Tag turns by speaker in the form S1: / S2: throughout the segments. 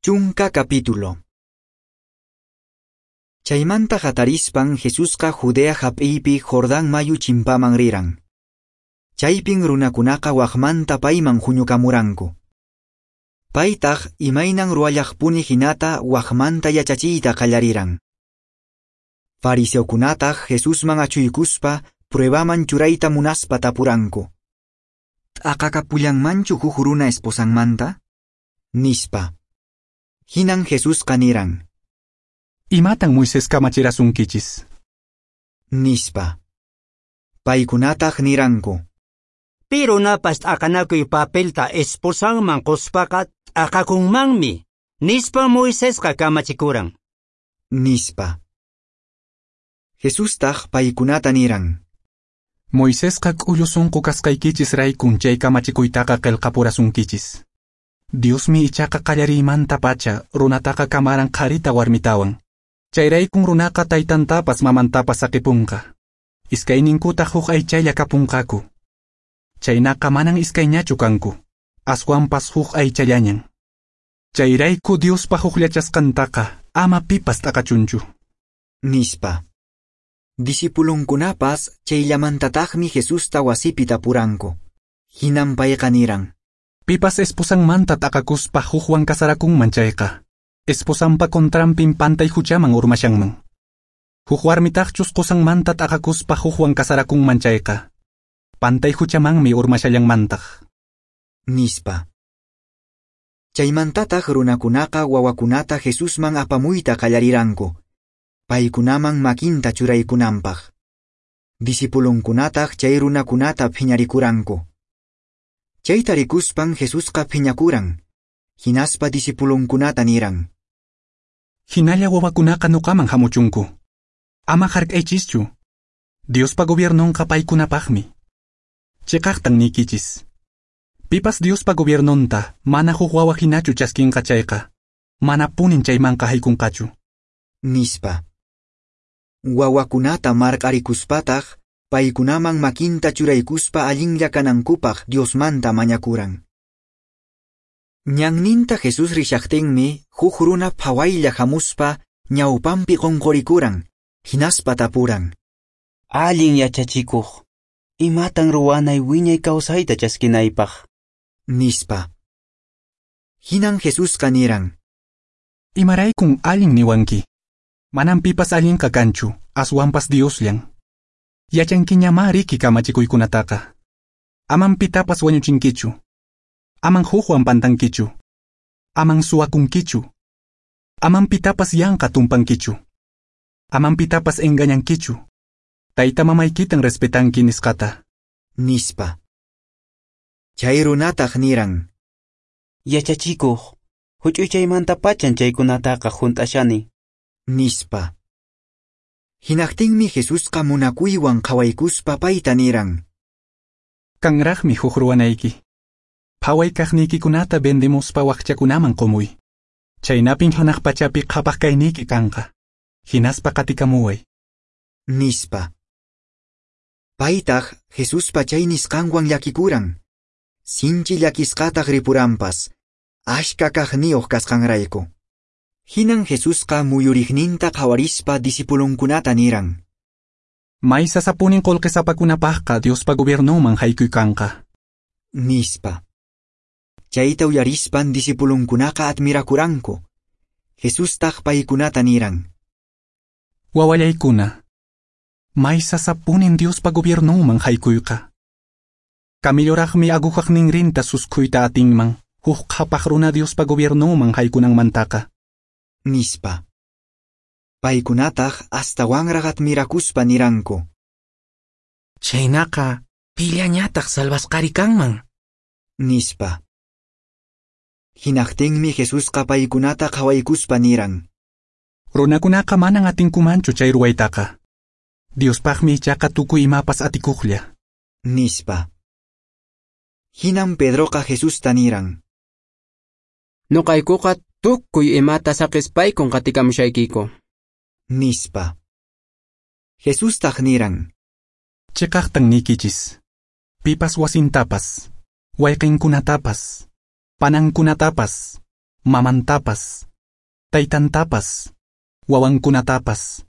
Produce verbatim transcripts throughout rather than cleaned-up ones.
S1: Chunka capítulo. Chaymanta hatarispan Jesusqa Judea hap'iypi Jordán mayu chimpaman riran. Chaypin runakunaqa waqmanta payman huñukamuranku. Paytaq imaynan ruwallaqpuni hinata waqmanta yachachiyta qallariran. Fariseokunataq Jesusman achuykuspa pruebaman churayta munaspa tapuranku. T'aqakapullanmanchu huk runa esposanmanta? Nispa. Hinan Jesusqa niran.
S2: Imatan Moisés kamachirasunkichis?
S1: Nispa. Paykunataq niranku.
S3: Pi runapas t'aqanakuy papelta esposanman quspaqa t'aqakunmanmi, nispa Moisesqa kamachikuran.
S1: Nispa. Jesustaq paykunata niran.
S2: Moisesqa k'ullu sunqu kasqaykichis raykun chay kamachikuytaqa qillqapurasunkichis. Diosmi ichaqa qallariymantapacha runataqa kamaran qharita warmitawan. Chayraykun runaqa taytantapas mamantapas saqipunqa. Iskayninkutaq huk aychalla kapunqaku. Chaynaqa manan iskayñachu kanku, aswanpas huk aychallañan. Chayrayku Diospa hukllachasqantaqa ama pipas t'aqachunchu.
S1: Nispa. Discipulunkunapas chayllamantataqmi Jesusta wasipi tapuranku. Hinan payqa niran.
S2: Pipas esposanmanta t'aqakuspa hukwan kasarakunman chayqa, esposanpa contranpin pantay huchaman urmashanman. Huk warmitaqchus qusanmanta t'aqakuspa hukwan kasarakunman chayqa, pantay huchamanmi urmashallanmantaq.
S1: Nispa. Chaymantataq runakunaqa wawakunata Jesusman apamuyta qallariranku, paykunaman makinta churaykunanpaq. Discipulunkunataq chay runakunata phiñarikuranku. Chayta rikuspan Jesusqa phiñakuran, hinaspa discipulunkunata niran.
S2: Hinalla wawakunaqa nuqaman hamuchunku. Ama hark'aychischu. Diospa gobiernonqa paykunapaqmi. Chiqaqtan niykichis. Pipas Diospa gobiernonta mana huk wawa hinachu chaskinqa chayqa, manapunin chaymanqa haykunqachu.
S1: Nispa. Wawakunata marq'arikuspataq paykunaman makinta churaykuspa allinlla kanankupaq Diosmanta mañakuran. Ñanninta Jesús rishaqtinmi huk runa phawaylla hamuspa ñawpanpi qunqurikuran, hinaspa tapuran.
S4: Allin yachachikuq, imatan ruwanay wiñay kawsayta chaskinaypaq?
S1: Nispa. Hinan Jesusqa niran.
S2: Imaraykun allin niwanki. Manan pipas allinqa kanchu, aswanpas Diosllan. Yachankiñamá riki kamachikuykunataqa. Aman pitapas wañuchinkichu. Aman hukwan pantankichu. Aman suwakunkichu. Aman pitapas yanqa tumpankichu. Aman pitapas engañankichu. Tayta mamaykitan respetanki nisqata.
S1: Nispa. Chay runataq niran.
S4: Yachachikuq, huch'uychaymantapachan chaykunataqa hunt'ashani.
S1: Nispa. Hinaqtinmi Jesusqa munakuywan qhawaykuspa payta niran.
S2: Kanraqmi huk ruwanayki. Phaway kaqniykikunata vendemuspa waqchakunaman qumuy. Chaynapin hanaq pachapi qhapaq kayniyki kanqa. Hinaspa qatikamuway.
S1: Nispa. Paytaq Jesuspa chay nisqanwan llakikuran. Sinchi llakisqataq ripuranpas, ashka kaqniyuq kasqanrayku. Hinan Jesusqa muyuriqninta qhawarispa discipulunkunata niran.
S2: May sasapunin qullqisapakunapaqqa Diospa gobiernonman haykuy kanqa.
S1: Nispa. Chayta uyarispan discipulunkunaqa admirakuranku. Jesustaq paykunata niran.
S2: Wawallaykuna, may sasapunin Diospa gobiernonman haykuyqa. Camilloraqmi aguhaq ninrinta suskhuyta atinman, huk qhapaq runa Diospa gobiernonman haykunanmantaqa.
S1: Nispa. Paykunataq astawanraq admirakuspa niranku.
S5: Chaynaqa pillañataq salvasqari kanman.
S1: Nispa. Hinaqtinmi Jesusqa paykunata qhawaykuspa niran.
S2: Runakunaqa manan atinkumanchu chay ruwaytaqa. Diospaqmi ichaqa tukuy imapas atikuqlla.
S1: Nispa. Hinan Pedroqa Jesusta niran.
S6: Nuqaykuqa tukuy imata saqispaykun qatikamushaykiku.
S1: Nispa. Jesustaq niran.
S2: Chiqaqtan niykichis. Pipas wasintapas, wayqinkunatapas, panankunatapas, mamantapas, taytantapas, wawankunatapas,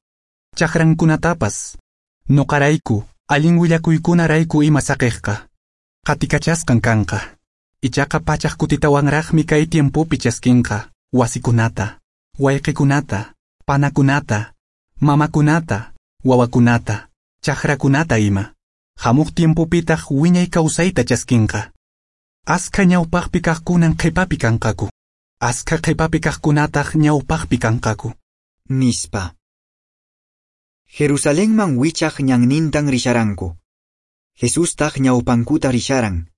S2: chakrankunatapas, nuqarayku, allin willakuykunarayku ima saqiqqa, qatikachasqan kanqa. Ichaqa pachaq kutitawanraqmi kay tiempopi chaskinqa wasikunata, wayqikunata, panakunata, mamakunata, wawakunata, chakrakunata ima. Hamuq tiempopitaq wiñay kawsayta chaskinqa. Askha ñawpaqpi kaqkunan qhipapi kanqaku. Askha qhipapi kaqkunataq ñawpaqpi kanqaku.
S1: Nispa. Jerusalenman wichaq ñannintan risharanku. Jesustaq ñawpankuta risharan.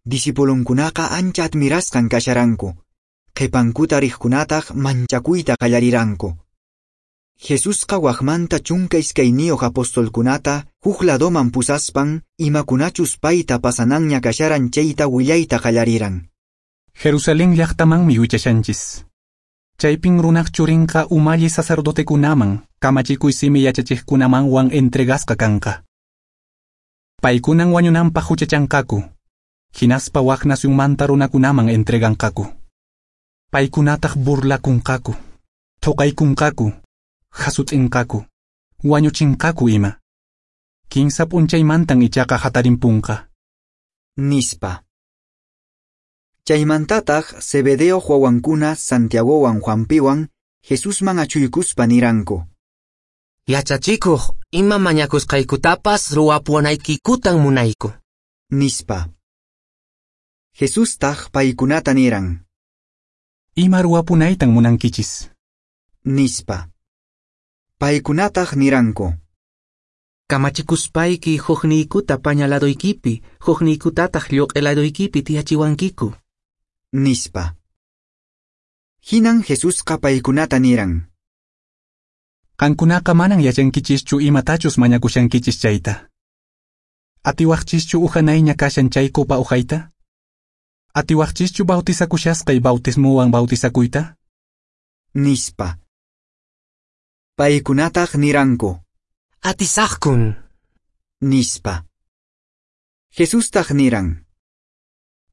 S1: Discipulunkunaqa ancha admirasqan kasharanku. Qhipankuta riqkunataq manchakuyta qallariranku. Jesusqa waqmanta chunka iskayniyuq apostolkunata huk ladoman pusaspan imakunachus payta pasananña kasharan chayta willayta qallariran.
S2: Jerusalén llaqtamanmi wichashanchis. Chaypin runaq churinqa umalli sacerdotekunaman, kamachikuy simi yachachiqkunamanwan entregasqa kanqa. Paykunan wañunanpaq huchachanqaku, hinaspa wak nacionmanta runakunaman entreganqaku. Paykunataq burlakunqaku, thuqaykunqaku, hasut'inqaku, wañuchinqaku ima. Kinsa p'unchaymantan ichaqa hatarimpunqa.
S1: Nispa. Chaymantataq Zebedeo wawankuna Santiagowan Juanpiwan Jesusman achuykuspa niranku.
S5: Yachachikuq, ima mañakusqaykutapas ruwapuwanaykikutan munayku.
S1: Nispa. Jesustaq paykunata niran.
S2: Ima ruwapunaytan munankichis.
S1: Nispa. Paykunataq niranku.
S5: Kamachikuspayki hukniykuta paña ladoykipi, hukniykutataq lluq'i ladoykipi tiyachiwankiku.
S1: Nispa. Hinan Jesusqa paykunata niran.
S2: Qankunaqa manan yachankichischu imatachus mañakushankichis chayta. Atiwaqchischu uhanayña kashan chay copa uhayta? Atiwaqchischu bautizakushasqay bautismowan bautizakuyta?
S1: Nispa. Paykunataq niranku.
S5: Atisaqkun.
S1: Nispa. Jesustaq niran.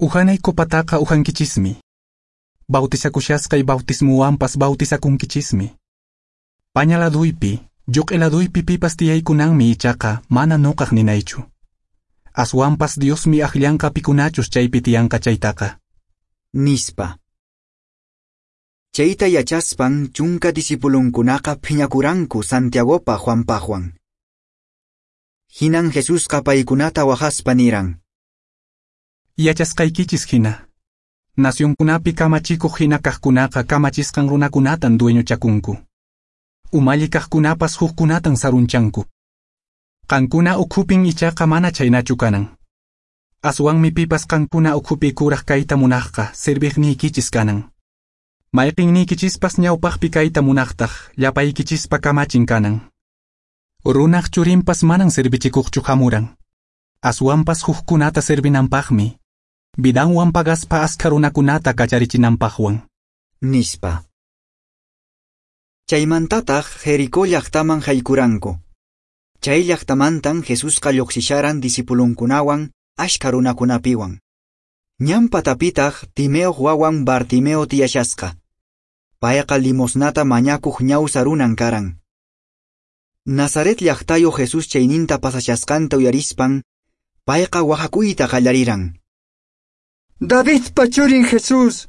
S2: Uhanay copataqa uhankichismi. Bautizakushasqay bautismowanpas bautizakunkichismi. Paña laduypi, lluq'i laduypi pipas tiyaykunanmi ichaqa mana nuqaq ninaychu. Aswanpas Diosmi akllanqa pikunachus chaypi tiyanqa chaytaqa.
S1: Nispa. Chayta yachaspan chunka discipulunkunaqa phiñakuranku Santiagopa Juanpaqwan. Hinan Jesusqa paykunata waqaspa niran.
S2: Yachasqaykichis hina. Nacionkunapi kamachikuq hina kaqkunaqa kamachisqan runakunatan dueñochakunku. Umalli kaqkunapas hukkunatan sarunchanku. Qankuna ukhupin ichaqa mana chhaynachu kanan. Aswanmi pipas qankuna ukhupi kuraq kayta munaqqa serviqniykichis kanan. Mayqinniykichispas ñawpaqpi kayta munaqtaq llapaykichispa kamachin kanan. Runaq churinpas manan servichikuqchu hamuran. Aswanpas hukkunata servinanpaqmi, vidanwan pagaspa askha runakunata kacharichinanpaqwan.
S1: Nispa. Chaymantataq Jericó llaqtaman haykuranku. Chay llaqtamantan Jesusqa lluqsisharan discipulunkunawan askha runakunapiwan. Ñan patapitaq Timeoq wawan Bartimeo tiyashasqa. Payqa limosnata mañakuq ñawsa runan karan. Nazaret llaqtayo Jesús chayninta pasashasqanta uyarispan, payqa waqakuyta qallariran.
S7: Davidpa churin Jesús,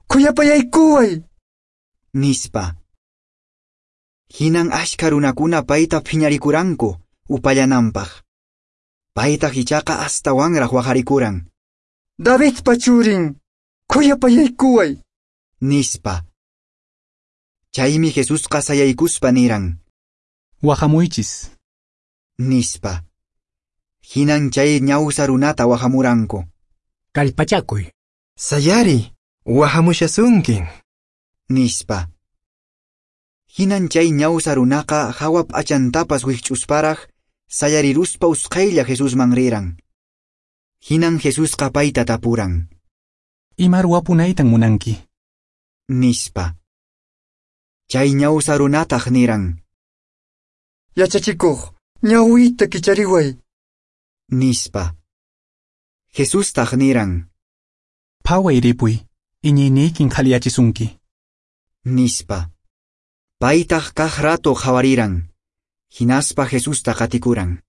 S7: khuyapayaykuway.
S1: Nispa. Hinan askha runakuna payta phiñarikuranku upallananpaq. Paytaq ichaqa astawanraq waqarikuran.
S7: Davidpa churin, khuyapayaykuway.
S1: Nispa. Chaymi Jesusqa sayaykuspa niran.
S2: Waqamuychis.
S1: Nispa. Hinan chay ñawsa runata waqamuranku.
S8: Kallpachakuy.
S9: Sayari, waqamushasunkin.
S1: Nispa. Hinan chay ñawsa runaqa hawa p'achantapas wikch'usparaq sayariruspa usqhaylla Jesusman riran. Hinan Jesusqa payta tapuran.
S2: Ima ruwapunaytan munanki?
S1: Nispa. Chay ñawsa runataq niran.
S7: Yachachikuq, ñawiyta kichariway.
S1: Nispa. Jesustaq niran.
S2: Phaway ripuy, Iñiyniykin qhaliyachisunki.
S1: Nispa. Paytaq kaq rato qhawariran, hinaspa Jesusta qatikuran.